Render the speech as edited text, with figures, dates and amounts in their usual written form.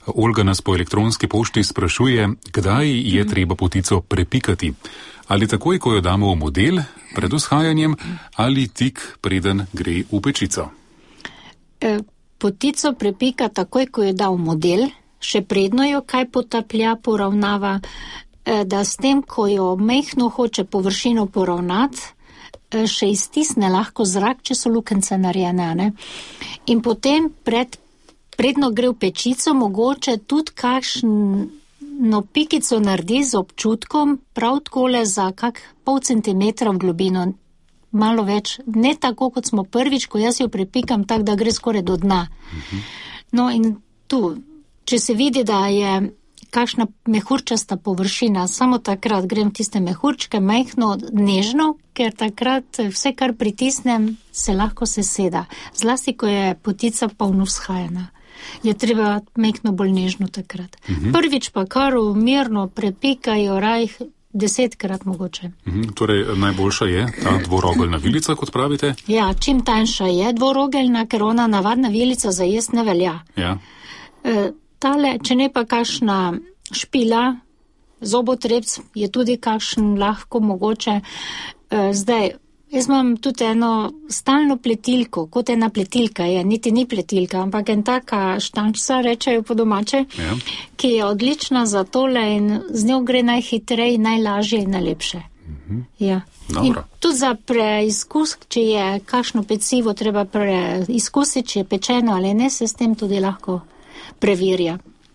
Olga nas po elektronski pošti sprašuje, kdaj je treba potico prepikati. Ali takoj, ko jo damo v model, pred vzhajanjem, ali tik preden gre v pečico? Potico prepika takoj, ko jo da v model, še predno jo kaj potaplja, poravnava, da s tem, ko jo mehno hoče površino poravnati, še iztisne lahko zrak, če so lukence narejene, ne? In potem predno gre v pečico, mogoče tudi kakšno pikico naredi z občutkom, prav takole za kak pol centimetra v globino, malo več, ne tako, kot smo prvič, ko jaz jo prepikam, tak, da gre skoraj do dna. No in tu, če se vidi, da je kakšna mehurčasta površina, samo takrat grem tiste mehurčke, majhno, nežno, ker takrat vse, kar pritisnem, se lahko seseda. Zlasti, ko je potica polno vzhajena. Je treba majhno bolj nežno takrat. Prvič pa kar mirno prepikajo rajh 10-krat mogoče. Torej, najboljša je ta dvorogeljna vilica, kot pravite? Ja, čim tanjša je dvorogeljna, ker ona navadna vilica za jest ne velja. Ja. Tale, če ne pa kakšna špila, zobotrebc, je tudi kakšen lahko mogoče. Zdaj, jaz imam tudi eno stalno pletilko, kot ena pletilka je, niti ni pletilka, ampak en taka štančica, rečejo po domače, Ja. ki je odlična za tole in z njo gre najhitreje, najlažje in najlepše. Ja. In Dobro. tudi za preizkus, če je kakšno pecivo treba preizkusiti, če je pečeno ali ne, se s tem tudi lahko preverja.